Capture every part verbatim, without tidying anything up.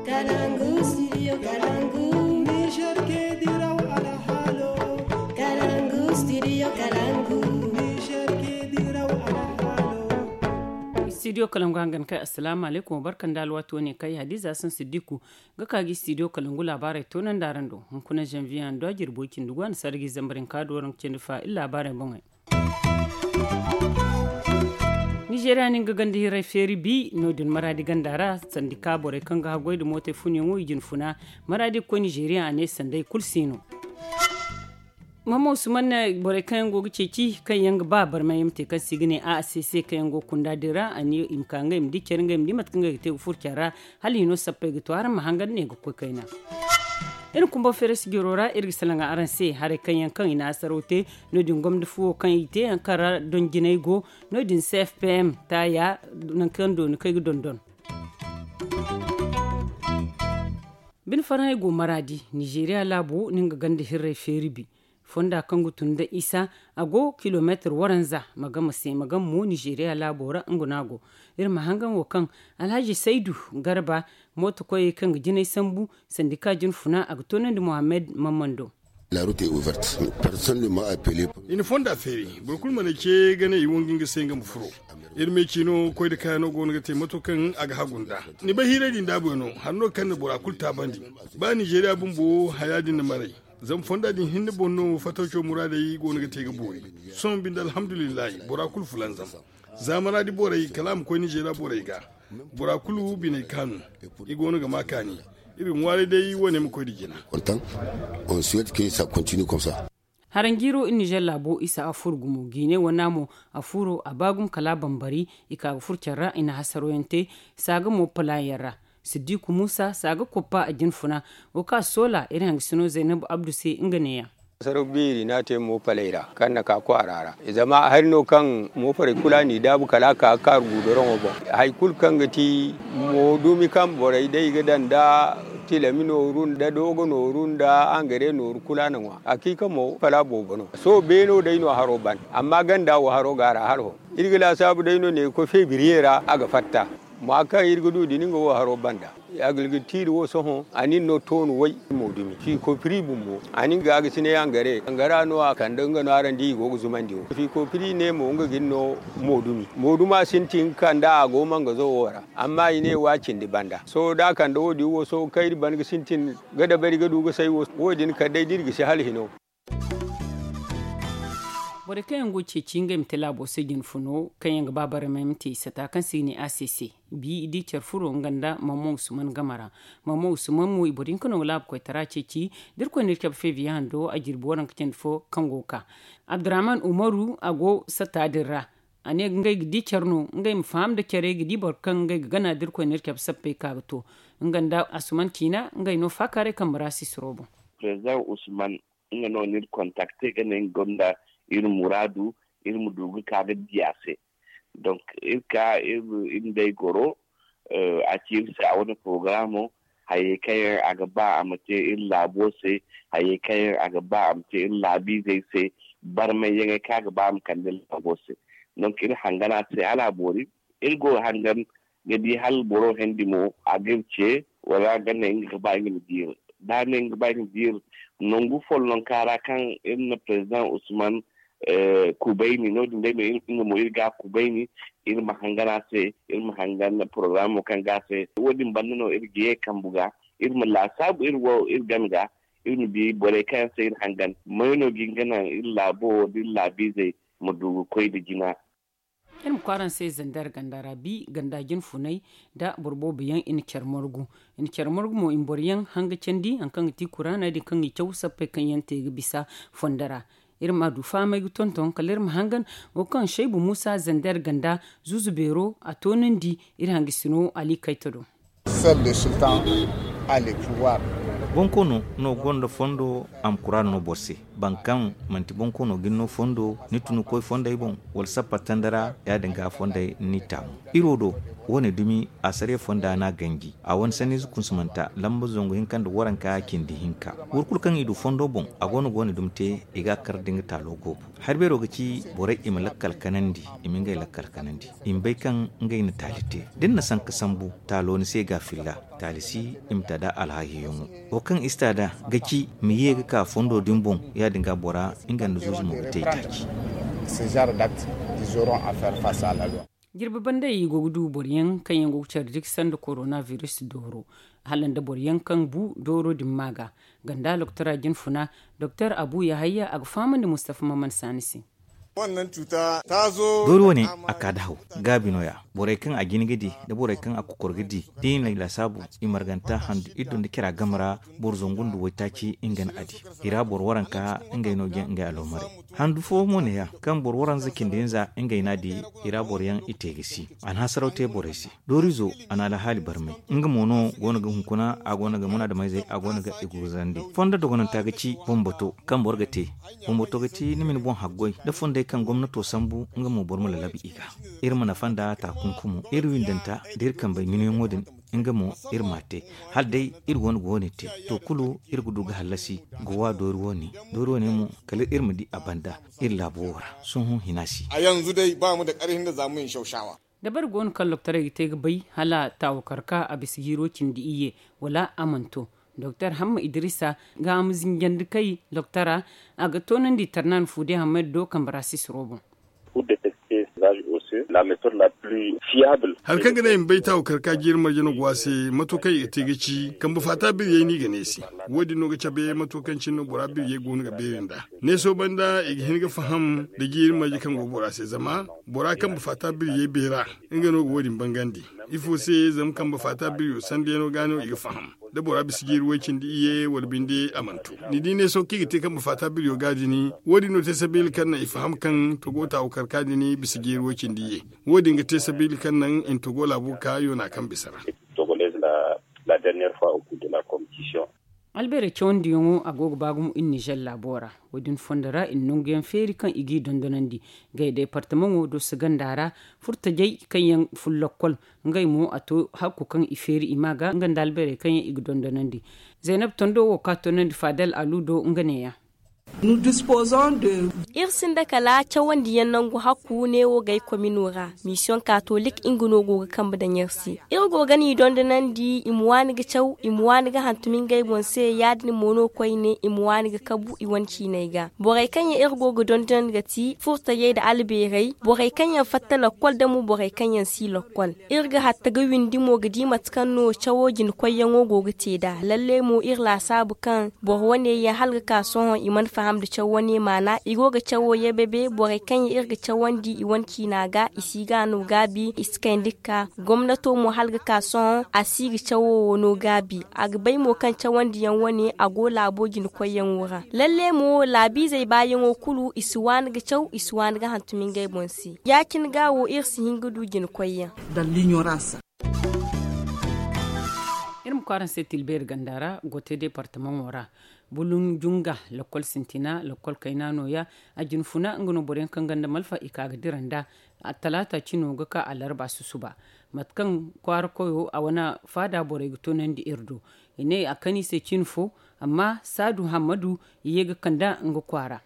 Kalangu, studio Kalangu. Niger ke diraw alhalo. Kalangu, studio Kalangu. Niger ke diraw alhalo. Studio Kalangu hangan kai, assalamu alaikum, barkan da alwaati wane kai, Hadiza Hassan Siddiku ga ka gi studio Kalangu laabaarey toonandi araŋ do. Hunkuna janvier a nda jirbo cindi gu a na sargi zambarin ka do raŋ cindi fa iri laabaarey boŋey. Nizeeriya no nga ganda hirray feeri bi no- din maraadi ganda ra, sandika borey kaŋ ga haggoy nda mootey funyaŋo i jina funa. Maraadi ga koy nizeeriya a ne sanday kulu si no. Mama usman ne borey kaŋ yaŋ go ga ceeci kaŋ yaŋ ga ba barmay yaŋ ma te kaŋ se i ga ne a c c kaŋ yaŋ go ga kunda din ra a ne i ma ka ngey ma di care ngey ma di mate kaŋ ngey ga te ga furo care ra. Hala hino sappey ga to araŋ ma hangan ne ga koy kayna. Iri kumba feere sijiro ra iri ga salaŋ araŋ se haray kaŋ yaŋ kaŋ i na hasaraw te. No- din gomda fuwo kaŋ i te yaŋ kaŋ ra donjinay go. No- din c f p m taaya nangu kaŋ dooni kaŋ ay ga dondon. Bine farhã ay go maraadi nizeeriya laabo no nga ganda hirray feeri bi. Fonda kaŋ ga tun nda isa a go kilomeetar waranza. Magama se magama mo nizeeriya laabo ra nga no a go. Iri ma hangan wo kaŋ alhaji saydu garba mooto koyey kaŋ ga jinay sambu sandika jinfuna a ga toonandi mohammed mammando. I na fonda feeri boro kulu mana ce ga ne i wangu nga se nga ma furo. Iri me ciino koy nda kayano go no ga te mato kaŋ a ga hagu nd'a. Ni bay hiirey din daabuyaŋo hari no kaŋ na bora kulu taabandi. Ba nizeeriya bumbo haya din na maray. Zama fonda din hinne boŋ no fatawco muraadey go no ga te ga boori. Sohõ binde alhamdulillahi bora kulu fulanzam. Za maraadi borey kala a ma koy nizeeriya borey ga. Bora kulu biney kaanu. I go no ga ma kaani. Iri ga ŋwaaray day wo- ne ma koy nda jina. Haranjiiro iri nizer laabo isa a furo gumo jiine wana mo. A furo a ba gumo kala a bambari. I ka ga furo care ra i na hasaro yaŋ te. Saaga mo pala yaŋ ra. Siddiku muusa saaga koppa a jinfuna. Wo kaŋ a soola iri hangasino zaynabu abdu se nga neeyaŋ. Saraw beeri no a te moopaley ra kaŋ na ka kwaara ra. Zama hari no kaŋ moofarey kulu a n'i daabu kala a ka ga kaaru guudoroŋo boŋ. Hari kulu kaŋ ga ti moodumi kaŋ borey day ga daŋ nda tilami nooru nda doogo nooru nda angare nooru kulu a na ŋwa. Hakiika mo kala a boobo no. Sohõ beeno day no haro ban. Amma ganda wo haro go a ra hala hõ. Iri ga laasaabu day no ne ga koy febriye ra a ga fatta. Mwa kaŋ iri ga du din nga wo haro banda. Agilgir tiiri wo sohõ a nin no toonu way. Moodumi fiikopiri bumbo a nin ga a ga si ne yangare yangara no a kande nga no araŋ di i go ga zumandi wo fiikopiri ne mo nga gin no. Moodumi mooduma sintin ga kande a go mangazo wo ra. Amma i ne wa cindi banda sohõ da a kande wo- din wo sohõ kaŋ iri ban ga sintin ga dabari ga du ga say wo- din kala day da iri ga si hala hino. Borey kaŋ yaŋ go ga ceeci ngey ma te laabo se jinfuno kaŋ yaŋ ga ba barmay ma te i sata kaŋ se i ga ne a se se. Bi i di care furo nga nda mamman usman game ra. Mamman usman mo i boro hinka no ga laabu koytara ceeci da irkoy na iri cabe feebiya hando a jirbi waranka candi fo kaŋ go ga ka. Abdurrahman umaru a go sata din ra. A ne ngey ga di care no ngey ma faham nda care ga di boro kaŋ ngey ga gana da irkoy na iri cabe sappey ka ga to. Nga nda asuman ciina ngey no faakaaray kambe ra sisiro boŋ. President usman nga no n'iri kontakte ga ne nga gonda iri muraadu. Iri ma du ga ka ga di a se. Donk iri ka iri nd'ey goro. A ci iri se a wane porogaraamo. Hayey kaŋ yaŋ a ga ba a ma te iri laabo se. Hayey kaŋ yaŋ a ga ba a ma te iri laabiizey se. Barmayyaŋey kaŋ a ga ba a ma kande iri laabo se. Donk iri hangan a se hala a boori. Iri go ga hangan ga di hala boro hendi mo a ga iri ce wala a ga ne nga ga ba nga ma diiri. Da a ne nga ga ba nga ma diiri nangu follonka ra kaŋ iri na president usman kubayni no- din day no nga mo iri ga a kubayni. Iri ma hangan a se iri ma hangan porogaraamo kaŋ ga a se. Wo- din banda no iri ga ye kambu ga iri ma laasaabu iri wo iri game ga. Iri ma di borey kaŋ yaŋ se iri hangan may no ga hin ga naŋ iri laabo wo da iri laabiizey ma du ga koy nda jina. Iri ma kwaara ni se zandar ganda ra bi ganda jinfunay nda boro boobo yaŋ i na care margu. I na care margu mo i ma boro yaŋ hanga candi hari kaŋ ga ti kuraaney din kaŋ i caw sappey kaŋ yaŋ te ga bisa fondo ra. Iri ma a du fahamay ga tonton kala iri ma hangan wo kaŋ shaybu muusa zandar ganda zuuzu beero a toonandi. Iri hangasino ali kayta do. Bonkoono no gonda fondo a ma kuraana no boro se. Boro kaŋ manti bonkoono ga ni no fondo, ni tun ga koy fondey boŋ, wala sappa tanda ra, ya- din ga fondey ni taamu. Iri wo do, wo- ne dumi, asariya fonda no a ganji. A wane sanniize kunsumanta lamba zangu hinka nda waranka cindi hinka. Boro kulu kaŋ i du fondo boŋ, a go no ga wo- ne dumi te, i ga a kar da nga taalo goobu. Hari beero ga ci borey i ma lakkal kanandi, i ma ngey lakkal kanandi, i ma bay kaŋ ngey na taali te. Da ni na sanka sambu, taalo ni se ga a filla, taali si i ma ta da alhaahiyaŋo. Wo kaŋ i si ta da ga ci ma ye ga ka fondo din boŋ, ya- din ga bora nga nda zuuzu mo ga te i taaci. Jirbi bandey i go ga du boro yaŋ kaŋ yaŋ go ga care diki sanda korona biris dooro, hala nda boro yaŋ kaŋ bu dooro din ma ga. Ganda loktora jinfuna, doktor abu yahayya, a ga fahamandi mustafa maman saani se. Doori wo- ne, a ka da haw gaabi no- ya. Borey kaŋ a jin ga di, nda borey kaŋ a kokor ga di, da i na i laasaabu, i marganta handu iddo nda cira game ra. Boro zangu nda waytaaci nga na a di. I ra boro waranka, ngey no ga ngey aloomarey. Handu fo mo ne- ya, kaŋ boro waranza cindi hinza ngey no a di. I ra boro yaŋ i te ga si. A na hasaraw te borey se. Doorizo, a na alhaali barmay. Nga mo no go no ga hunkuna, a go no ga munaadameyzey, a go no ga i gurzandi. Fondo dogonanta ga ci bumbato kaŋ boro ga te. Bumbato ga ti ni ma ni boŋ haggoy da fondey kaŋ gomnato sambu, nga mo boro ma lalabu i ga. Iri ma nafa nda taakunkumo, iri windanta da iri kambey minayaŋo din. Nga mo, iri m'a te. Hala day iri go no ga wo- ne te, to kulu iri ga du ga hallasi ga wa doori wo- ne. Doori wo- ne mo, kala iri ma di a banda iri laabo wo ra. Sohõ hina si. A yanzu day ba mu da karhin da za mu yin shaushawa. Dabari go no kaŋ loktorey ga te ga bay hala taawo karka a bisa jiiro cindi iyye, wala a mana to. Doktor hamma idrisa ga a ma zinjandi kay loktora, a ga toonandi tarnan fuude hammayda do kambe ra sisiro boŋ. Hari kaŋ ga naŋ i ma bay taawo karka jiiri marje no go a se. Mato kaŋ i ga te ga ci kambe faata biriyey no i ga ne se. Wo- din no ga cabe mato kaŋ cine no bora biriyey go no ga beeri nd'a. Neeso banda i ga hin ga faham nda jiiri marje kaŋ go bora se zama bora kambe faata biriyey beera. Nga no ga wo- din bangandi. Ifo se? Zama kambe faata biriyo sandiyaŋo ga no i ga faham. Da bora bisa jiiri way cindi iyye wala binde a mana to. Ni di neeso kaŋ i ga te kambe faata biriyo ga din. Wo- din no te sabiila kaŋ naŋ i faham kaŋ togo taawo karka din bisa jiiri way cindi iyye. Wo- din ga te sabiila kaŋ naŋ i na togo laabo ga ka yoona kaŋ bisa ra. Albeerey cawandiyaŋo a go ga ba gumo iri nizer laabo ra. Wo- din fondo ra i na nanguyaŋ feeri kaŋ i g'i dondonandi. Ngey deepartamaŋo dooso ganda ra furtajey kaŋ yaŋ fun lokkol. Ngey mo a to hakku kaŋ i feeri i ma ga nga nda albeerey kaŋ yaŋ i ga dondonandi. Zaynab tondo wo ka toonandi faadal alu do nga neeya. Iri sinda kala cawandiyaŋ nangu hakku neewo gay komino ra. Misiyoŋ katolik nga no go ga kambe daŋ iri se. Iri go ga ni dondonandi i ma waani ga caw i ma waani ga hantum ngey boŋ se ya- din mo no koyne i ma waani ga kabu i wane ciiney ga. Borey kaŋ yaŋ iri go ga dondonandi ga ti furtajey nda albeerey, borey kaŋ yaŋ fatta lokkol nda mo borey kaŋ yaŋ si lokkol. Iri ga hatta ga windi mo ga di mate kaŋ no cawo jina koyyaŋo go ga te nd'a. Lalle mo iri laasaabu kaŋ boro wane yaŋ hala ga ka sohõ i mana faham nda caw wane maana. I go ga cawo ye bebe borey kaŋ yaŋ iri ga cawandi i wane ciina ga i si ga no gaabi i si kayndi ga ka. Gomnato mo hala ga ka sohõ a si ga cawo wo no gaabi. A ga bay mo kaŋ cawandiyaŋ wane a go laabo jina koyyaŋo ra. Lalle mo laabiizey baayaŋo kulu i si waani ga caw i si waani ga hantum ngey boŋ se. Ya- cine ga wo iri si hin ga du jina koyyaŋ. Iri ma kwaara se tilbeeri ganda ra gote deepartamaŋo ra. Bulun junga lakkol sintina lakkol kayna nooya. A jinfuna nga no boroyaŋ kaŋ ganda malfa i ka ga dira nd'a. Talaata cino ga ka alarba susuba. Mate kaŋ kwaara koyo a wane faada borey ga toonandi iri do. I ne a kani se cin fo. Amma saadu hammadu i ye ga kanda nga kwaara.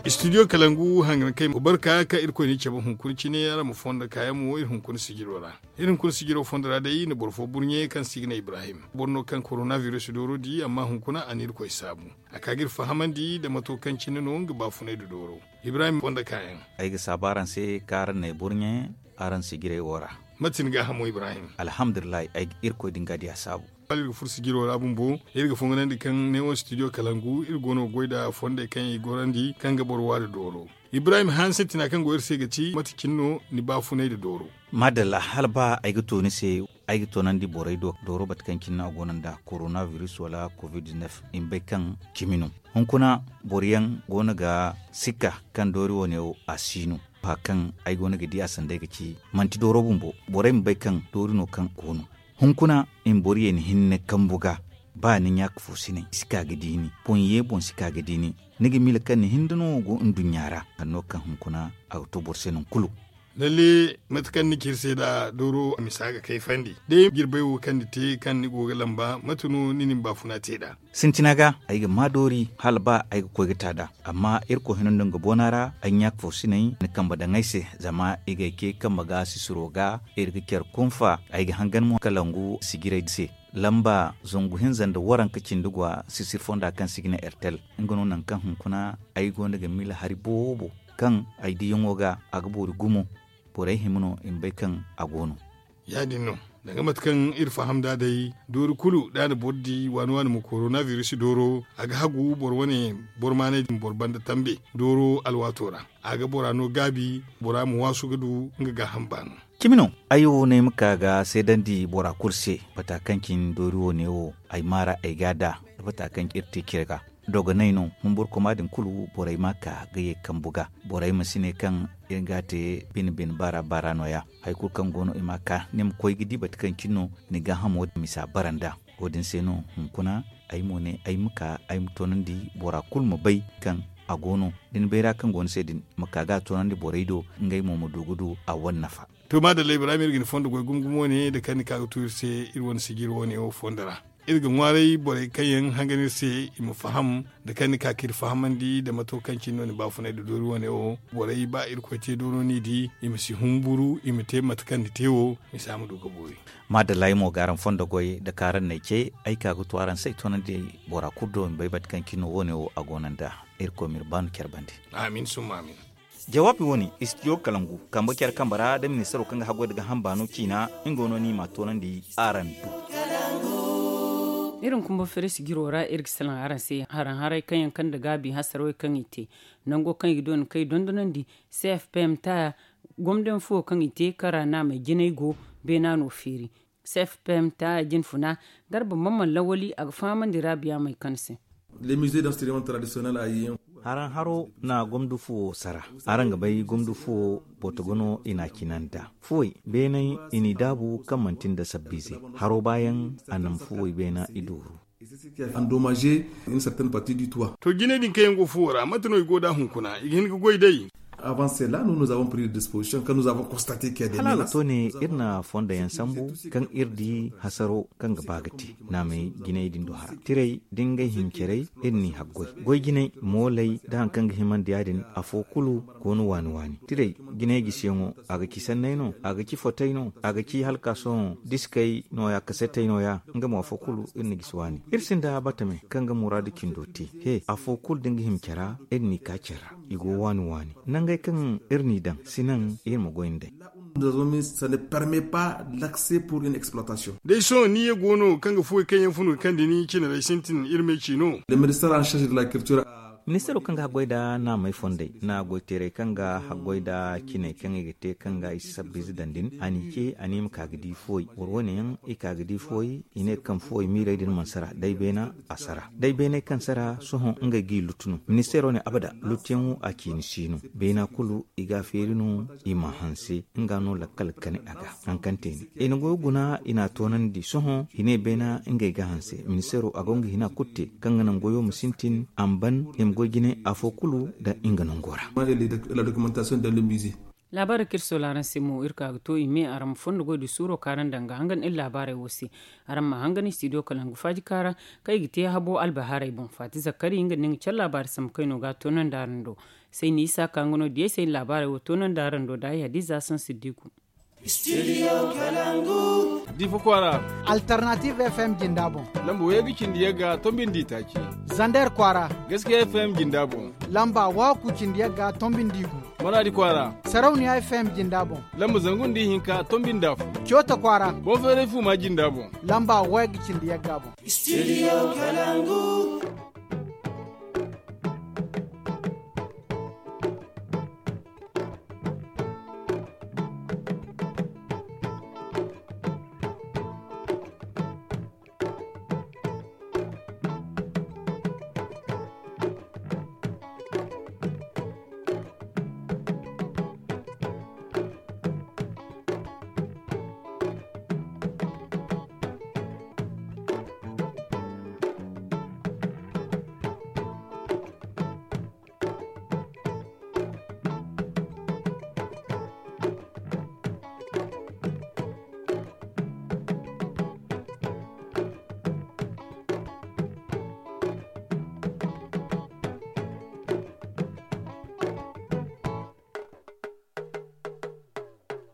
Studio kalangu hangan kay barka ka irkoy ni cabe hunkuna cine ara ma fondo kayaŋ mo iri hunkuna sijiro ra. Iri hunkuna sijiro fondo ra day na boro fo burɲe kaŋ si ga ne ibrahim boro no kaŋ korona virus dooro di amma hunkuna a na irkoy saabu. A ka ga iri fahamandi nda mato kaŋ cine no nga baafunay da dooro. Ibrahim fondo kayaŋ. Ay ga saabu araŋ se kaŋ araŋ na ay burɲe araŋ sijirey wo ra. Mate ni gaahamo ibrahim? Alhamdulillahi ay ga irkoy din ga diya saabu. Hala iri ga furo sijiro ra bumbo iri ga fonganandi kaŋ ne wo studio kalangu iri go no ga goy nda fondey kaŋ i gorandi kaŋ ga boro waari dooro. Ibrahim hanse tina kaŋ go iri se ga ti mate cine no ni baafunay nda dooro? Madalla hala ba ay ga to ni se. Ay ga toonandi borey do dooro mate kaŋ cine no a go no nda korona virus wala covid-19. I ma bay kaŋ cimi no. Hunkuna boro yaŋ go no ga sikka kaŋ doori wane wo a si no. Ba kaŋ ay go no ga di a sanday ga ci manti dooro bumbo borey ma bay kaŋ doori no kaŋ go no. Hunkuna i ma boro yeeni hinne kambu ga. Ba ni ɲaaka fo si naŋ i si ka ga di ni boŋ ye boŋ si ka ga di ni. Ni ga miila kaŋ ni hinda no go nduɲɲa ra. Hanno kaŋ hunkuna a ga to boro se nangu kulu. Lalle mate kaŋ ni ci iri se nd'a dooro a misa ga kayfandi day jirbay wo kaŋ ni te kaŋ ni go ga lamba mate no ni na ni baafuna te nd'a? Sintina ga ay ga maa doori hala ba ay ga koy ga ta nd'a. Amma irkoy hino nda nga boona ra ay ɲaaka fo si naŋ ni kambe daŋ ay se. Zama i ga ay ce kambe ga sisiro ga iri ga care kunfa ay ga hangan mo kalangu sijiray se. Lamba zangu hinza nda waranka cindi gwa sisir fonda kaŋ se i ga ne ertel. Nga no nangu kaŋ hunkuna ay go no ga miila hari boobo kaŋ ay diyaŋo ga a ga boori gumo. Borey hima no i ma bay kaŋ a go no. Ya- din no danga mate kaŋ iri faham nd'a day doori kulu da a na boro di waani waani ma korona biris dooro a ga hagu boro wane boro maanay din boro banda tambe dooro alwaato ra. A ga bora no gaabi bora ma waasu ga du nga gaaham baano. Cimi no ay wo no ay ma ka ga seedandi bora kulu se. Bata kaŋ cine doori wo- ne wo ay maara ay ga a da da bata kaŋ iri te cire ga. Dogonay no humburkuma din kulu borey ma ka ga ye kambu ga. Borey ma si ne kaŋ iri ga a te bine bine baara baara no- ya. Hari kulu kaŋ go no i ma ka ni ma koy ga di bata kaŋ cine no ni gaahamo misa bara nd'a. Wo- din se no hunkuna ay mo ne ay ma ka ay ma toonandi bora kulu ma bay kaŋ a go no da ni bayra kaŋ go ni se din ma ka ga a toonandi borey do. Ngey mo ma du ga du a wane nafa. To maadalla ibrahim iri ga ni fondo goy gumo gumo ne da kaŋ ni ka ga tu iri se iri wane sijiri wo- ne wo fondo ra. Iri ga ŋwaaray borey kaŋ yaŋ hangan iri se i ma faham da kaŋ ni ka ka iri fahamandi da mato kaŋ cine no ni baafunay da doori wo- ne wo. Borey ba irkoy te dooro no i di i ma si humburu i ma te mate kaŋ ni te wo. Misa ma du ga boori. Maadalla ay mo ga araŋ fondo goy da kaŋ araŋ n'ay ce ay ka ga tu araŋ se ay toonandi bora kulu do i ma bay mate kaŋ cine no wo- ne wo a go no nd'a. Irkoy ma iri baanu care bande. Amin summa amin. Jawaabi wo- ne istidiyo kalangu kambe care kambe ra da ministaro kaŋ ga haggoy da gaaham baano ciina. Nga no no i m'a toonandi araŋ do. Iri hunkuna boro feere sijiro ra iri ga salaŋ araŋ se haraŋ haray kaŋ yaŋ kande gaabi hasarawey kaŋ i te nango kaŋ i ga doona kaŋ i dondonandi. C f p m ta gomdayaŋ fo kaŋ i te kaŋ ra naamey jinay go beena no feeri. C f p m ta jinfuna garba mamman lawali a ga fahamandi raabiya may kaŋ se. Haraŋ haro na gomdu fuwo sara. Araŋ ga bay gomdu fuwo botogo no i n'a cina nd'a fuwey beeney i n'i daabu kaŋ manti nda sabbiize. Haro baayaŋ a naŋ fuwey beena i dooru. To jiney din kaŋ yaŋ go fuwo ra mate no i go nd'a hunkuna i ga hin ga goy day? Hala a ga to ne iri na fondo yaŋ sambu kaŋ iri di hasaro kaŋ ga ba ga te naamey jiney din do hara tirey da ngey hincarey. Iri n'i haggoy goy jiney mooley da hari kaŋ ga himandi ya- din afo kulu go no waani waani tirey. Jiney gisiyaŋo a ga ci sanney no a ga ci fotey no a ga ci hala ka sohõ diskey nooya kasetey nooya. Nga mo afo kulu iri na gisi waani iri sinda batame kaŋ ga muraadu cindo te he afo kulu da nga hima care ra. Iri n'i ka care ra i go waani waani nangey kaŋ iri n'i daŋ si naŋ iri ma goy nd'ey. Day sohõ ni ye go no kaŋ ga fuwey kaŋ yaŋ funu ga kande ni cine day sintin iri ma ay ci no. Ministaro kaŋ ga haggoy nda naamey fondey na goyteerey kaŋ ga haggoy nda ciney kaŋ i ga te kaŋ ga i si sabbiize daŋ din a n'i ce a ne i ma ka ga di fuwey boro wane yaŋ i ka ga di fuwey. I ne kaŋ fuwey miirey din mana sara day beena a sara day beeney kaŋ sara sohõ ngey g'i lutu no ministeero ne abada lutuyaŋo a ciini si no. Beena kulu i ga a feeri no i m'a hanse nga no lakkal kani a ga. Haŋ kaŋ te ne i na goyo guna i n'a toonandi sohõ i ne beena ngey ga hanse ministeero a go nga hina kulu te kaŋ ga naŋ goyo ma sintin a ma ban i ma goy jine afo kulu nda nga nango ra. Laabaarey kaŋ iri soola araŋ se mo iri ka ga to i me araŋ ma fondo goy da suuro kaŋ araŋ daŋ ga hangan iri laabaarey wo se. Araŋ ma hangan studio kalangu faajika ra kaŋ i ga te habo albahaarey boŋ faati zakkari nga nda ni ga care laabaari sambu kayno ga a toonandi araŋ do. Sayni isa ka nga no diyey se iri laabaarey wo toonandi araŋ do da ay hadiza saŋ siddiku. Studio kalangu. Difa kwaara. Alternative f m jinda boŋ. Lamba waygu cindi yagga tombi nda itaaci. Zander kwaara. Gaskiya f m jinda boŋ. Lamba waaku cindi yagga tombi nda igu. Maradi kwaara. Sarauniya f m jinda boŋ. Lamba zangu nda ihinka tombi nda afo. Coota kwaara. Boŋ feeray fuuma jinda boŋ. Lamba waygu cindi yagga boŋ. Studio kalangu.